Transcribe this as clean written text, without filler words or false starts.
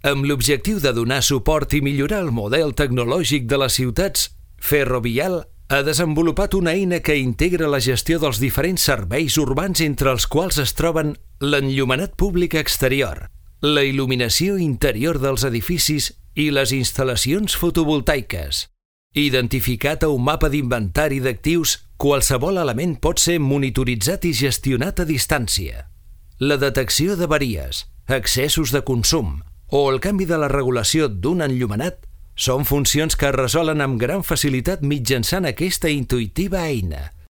Amb l'objectiu de donar suport i millorar el model tecnològic de les ciutats, Ferrovial ha desenvolupat una eina que integra la gestió dels diferents serveis urbans entre els quals es troben l'enllumenat públic exterior, la il·luminació interior dels edificis i les instal·lacions fotovoltaiques. Identificat a un mapa d'inventari d'actius, qualsevol element pot ser monitoritzat i gestionat a distància. La detecció d'avaries, excessos de consum o el canvi de la regulació d'un enllumenat són funcions que es resolen amb gran facilitat mitjançant aquesta intuïtiva eina.